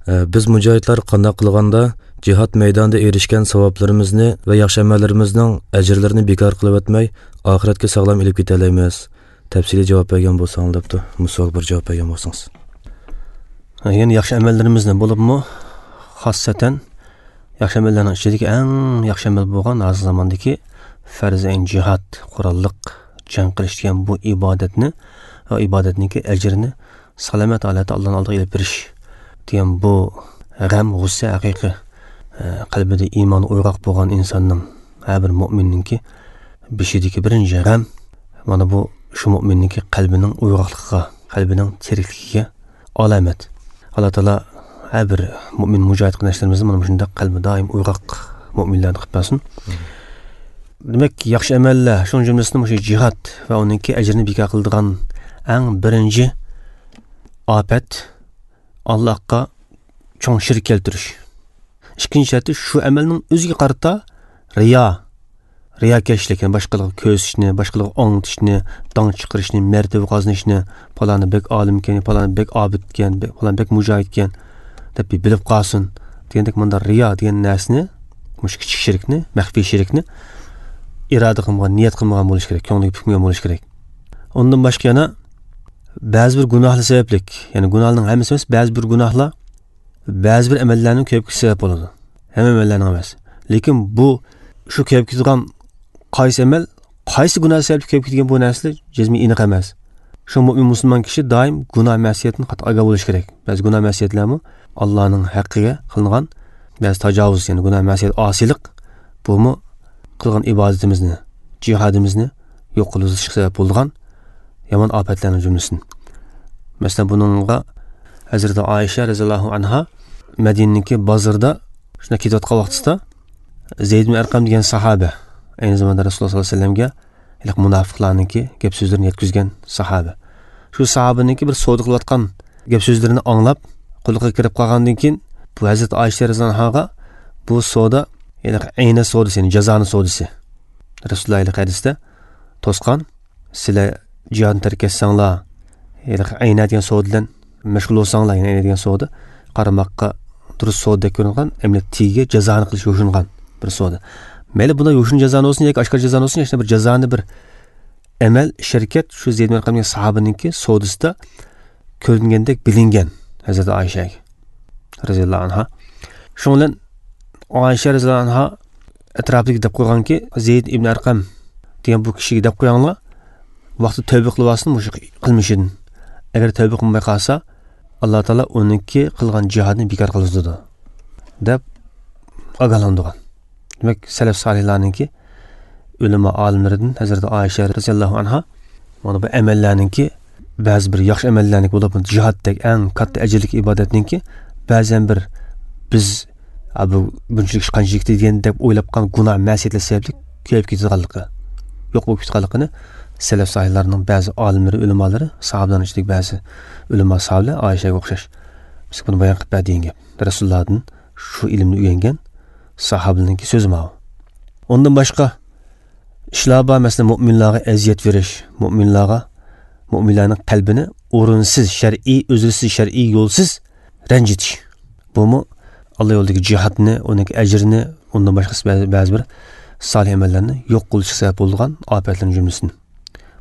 Biz mujohidlar qanday qilganda jihad maydonida erishgan savoblarimizni va yaxshi amallarimizning ajrlarini bekor qilib o'tmay, oxiratga sog'lom ilib keta olamiz? Tafsiliy javob bergan bo'lsangiz debdi. Musol bir javob bergan bo'lsangiz. Ya'ni yaxshi amallarimizni bo'libmi, xossatan yaxshi amallarning ichidagi eng yaxshi amal bo'lgan hozirgi zamondagi farz-ayn jihad, qurolliq jang qilish degan bu ibodatni va ibodatniki ajrini salomat holatda Allohning oldiga ilib berish degan bu g'am, g'ussa haqiqiy qalbida iymon uyg'oq bo'lgan insonning, har bir mo'minninki beshidagi birinchi g'am mana bu shu mo'minniki qalbining uyg'oqligiga, qalbining tirikligiga alomat. Alloh taolo har bir mo'min mujohid qarindoshlarimizni mana shunday qalbi doim uyg'oq mo'minlarni qilib bersin. Demak, yaxshi amallar, shuning jumlasidan o'sha jihad va uningki ajrini bekor qiladigan eng birinchi ofat Allohga cho'ng shirk keltirish. Ikkinchi sharti shu amalning o'ziga qarata riyo, riyokashlik, ya'ni boshqalarga ko'rsatishni, boshqalarga anglatishni, dong chiqarishni, martaba qozonishni, faloni bek olim ekan, faloni bek obid ekan, faloni bek mujohid ekan deb bilib qolsin degandek bunda riyo degan narsani, mush kichik shirkni, maxfiy shirkni iroda qilmagan, niyat qilmagan bo'lish kerak, ko'ngliga bukmagan bo'lish kerak. Undan boshqa yana ba'zi bir gunohlar sabablik, ya'ni gunohning hammasi emas, ba'zi bir gunohlar ba'zi bir amallarning ko'payib ketishi sabab bo'ladi. Hamma amallarning emas. Lekin bu shu ko'payib ketadigan qaysi amal, qaysi gunoh sababli ko'payib ketgan bu narsalar jazmiy aniq emas. Shu mo'min musulmon kishi doim gunoh ma'siyatini qat'iy ogoh bo'lish kerak. Ba'zi gunoh ma'siyatlarmi Allohning haqqiga qilingan ba'zi tajovuz, ya'ni gunoh ma'siyat, osiylik, bumi qilgan ibodatimizni, jihadimizni yo'q qilishga sabab bo'lgan yomon ofatlarning jumlasidan. Masalan, buningga Hazrati Oysha roziyallohu anha Madinaniki bozorda shunda ketayotgan vaqtida Zayd ibn Arqam degan sahoba, ayni zamonda Rasululloh sollallohu alayhi vasallamga iliq munofiqlarniki gap so'zlarini yetkazgan sahoba. Shu sahobaniki bir savdo qilayotgan gap so'zlarini anglab, quliqqa kirib qolgandan keyin bu Hazrati Oysha roziyallohu anhaga bu savdo, ya'ni ayni savdosi, ya'ni jazoni savdosi. Rasululloh iliq hadisda to'sqan, sizlar jihodni tark etsanglar, ya'ni ayna degan savdo bilan mashg'ul bo'lsanglar, ya'ni ayna degan savdo qaramoqqa durust savdo ko'ringan, amaliyot tigiga jazoni qilish yo'shingan bir savdo. Mayli bunda yo'shin jazoni bo'lsin yoki oshkor jazoni bo'lsin, yana bir jazoni bir amal shirkat shu Zayd ibn Arqam degan sahobaningki savdosida ko'ringandek bilingan Hazrati Oysha roziyallohu anha. Shu bilan Oysha roziyallohu anha atrofidagi deb qo'yganki, Zayd ibn Arqam degan bu kishiga deb qo'yanglar, vaqti tavba qilib olsin mushu qilmishidan. Agar tavba qilmay qolsa, Alloh taolo uniki qilgan jihadni bekor qiladi deb ogohlantirgan. Demak, salaf solihlarninki ulamo olimlaridan Hazrati Oysha roziyallohu anha mana bu amallarninki ba'zi bir yaxshi amallarniki bo'lib, jihaddek eng katta ajrlik ibodatninki ba'zan bir biz bu bunchalik ish qanchalik degan deb o'ylab qolgan gunoh ma'siyatlar sababli ko'payib ketganligi, yo'q bo'lib ketganligini salaf solihlarning ba'zi olimlari, ulamolari, sahobalarning ichidagi ba'zi ulamo sahobalar Oyshaga o'xshash biz buni bayon qilib berdi degan gap. Rasulullohdan shu ilmni o'rgangan sahobalarning so'zi ma. Undan boshqa ishlar bor, masalan, mo'minlarga aziyat berish, mo'minlarga, mo'minlarning qalbini o'rinsiz, shar'iy, uzrsiz, shar'iy yo'lsiz ranjitish. Bumi Alloh yo'lidagi jihodni, uning ajrini, undan boshqa ba'zi bir solih amallarni yo'q qilishga sabab bo'lgan ofatlarning jumlasidan.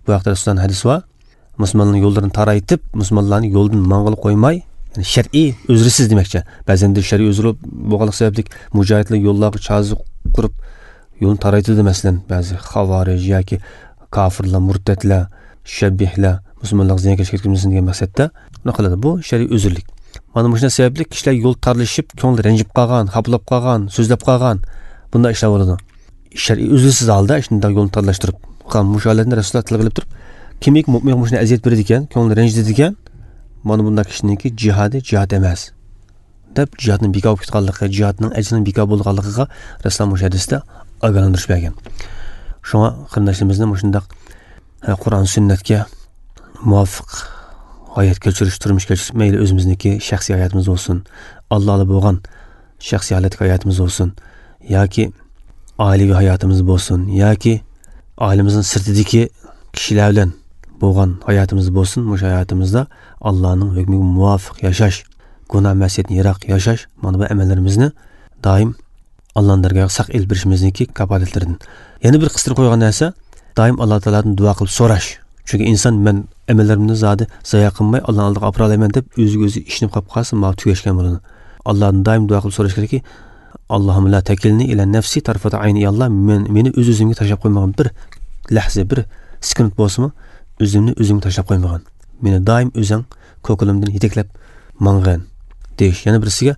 Bu haqda Rasulullohning hadisi bor. Musulmonlarning yo'llarini taraytib, musulmonlarni yo'ldan mang'il qo'ymay, ya'ni shar'iy uzrsiz demakchi. Ba'zan shar'iy uzr bo'lganlik sababli mujohidlar yo'llarga chazi qurib yo'lni taraytidi, masalan, ba'zi xavorij yoki kofirlar, murtadlar, shabbihlar musulmonlarga ziyonkashlik yetkazmasin degan maqsadda uni qiladi. Bu shar'iy uzrlik. Mana shunday sababli kishilar yo'l tarlashib, ko'ngli ranjib qolgan, xaplab qolgan, so'zlab qolgan, bunday ishlar bo'ladi. Shar'iy uzrsiz holda shunday yo'lni tarlashtirib, mushu holatni Rasululloh tilga ilib turib, kimiki mo'min mushuni aziyat beradi ekan, ko'ngli ranjitadi ekan, mana bunday kishiniki jihadi jihad emas deb jihadning bekor bo'lib ketganligi, jihadning ajrining bekor bo'lganligiga Rasululloh mushu hadisda ogohlantirish bergan. Shunga qarindoshlarimizni mushundaq Qur'on sunnatga muvofiq hayot kechirish, turmush kechirish, mayli o'zimizniki shaxsiy hayotimiz bo'lsin, Allohga bo'lgan shaxsiy holatdagi hayotimiz bo'lsin, yoki oilaviy hayotimiz bo'lsin, yoki oilamizning sirtidagi kishilar bilan bo'lgan hayotimiz bo'lsin, mushu hayotimizda Allohning hukmiga muvofiq yashash, gunoh masiyatni yiroq yashash, mana bu amallarimizni doim Allohning dargohiga saq elib berishimizniki kafolatlaridan. Yana bir qistirib qo'ygan narsa, doim Alloh taolodan duo qilib so'rash. Chunki inson men amallarimni zodi zoya qilmay Allohning oldiga olib boraman deb o'ziga o'zi ishonib qolib qolsa, ma tugashgan bo'ladi. Allohdan doim duo qilib so'rash kerakki, Allohim la takilni ila nafsi tarfata ayni, ya Alloh, meni o'z o'zimga tashlab qo'ymagan, bir lahza, bir sekund bo'lsinmi o'zimni o'zimga tashlab qo'ymagan. Meni doim o'zing ko'kilimdan yetaklab mang'in deyish. Yana birisiga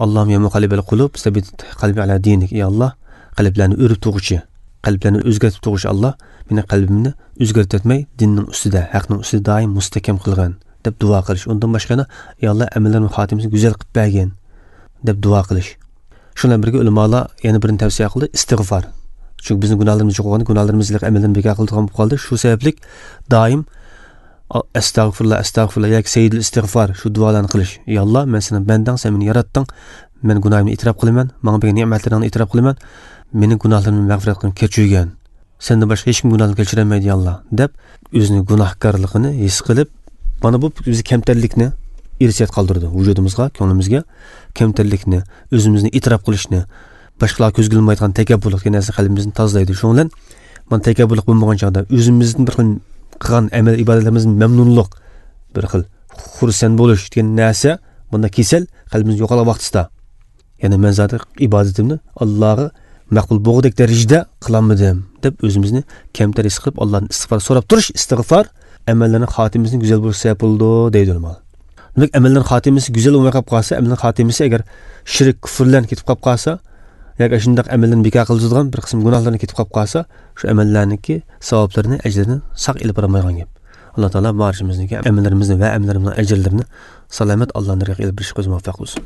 Allohim ya muqallibal qulub sabit qalbi ala dinik, ya Alloh, qalblarni o'rib tug'uchi, qalblarni o'zgartib tug'uchi Alloh, meni qalbimni o'zgartirmay dinning ustida, haqning ustida doim mustahkam qilg'in deb duo qilish. Undan boshqa yana, ey Alloh, amallarimni xotimasini go'zal qilib bergin deb duo qilish. Shundan birga ulamolar yana birini tavsiya qildi, istig'for. Chunki bizning gunohlarimiz yo'q bo'lganda, gunohlarimizni amaldan bekor qiladigan bo'lib qoldi. Shu sababli doim astag'firullah, astag'firullah yoki sayyidul istig'for shu duolarni qilish. Ey Alloh, men seni bandang, sen meni yaratding. Men gunohimni e'tirof qilaman, menga bergan ne'matlaringni e'tirof qilaman. Meni gunohlarimni mag'firat qilib kechirgin. Sendan boshqa hech kim gunohni kechirolmaydi, ey Alloh, deb o'zini gunohkorligini his qilib, mana bu bizni kamtarlikni irsiyat qoldirdi vujudimizga, ko'nglimizga kamtarlikni, o'zimizni e'tirof qilishni, boshqalar ko'zga ilmaydigan takabburlik degan narsa qalbimizni tozalaydi. Shuning bilan mana takabburlik bo'lmagan chog'da o'zimizni bir xil qilgan amal ibodatlarimizdan mamnunlik, bir xil xursand bo'lish degan narsa bunda kasal qalbimiz yo'qolgan vaqtida, ya'ni men zoti ibodatimni Allohga maqbul bo'g'dek darajada qilolmadim deb o'zimizni kamtar his qilib Allohdan istig'for so'rab turish, istig'for amallarning xotimasini go'zal bo'lishi sabab bo'ldi deydi ulamolar. Demak, amallarning xotimasi go'zal bo'lmay qolib qolsa, amalning xotimasi agar shirk, kufrlar ketib qolib qolsa, yoki shundoq amallarni bekor qiladigan bir qism gunohlarni ketib qolib qolsa, shu amallarniki savoblarini, ajrini saq ilib borolmaydigan gap. Alloh taolo barchamizniki amallarimizni va amallarimizning ajrlarini salomat Allohning dargohiga ilib berishga muvaffaq qilsin.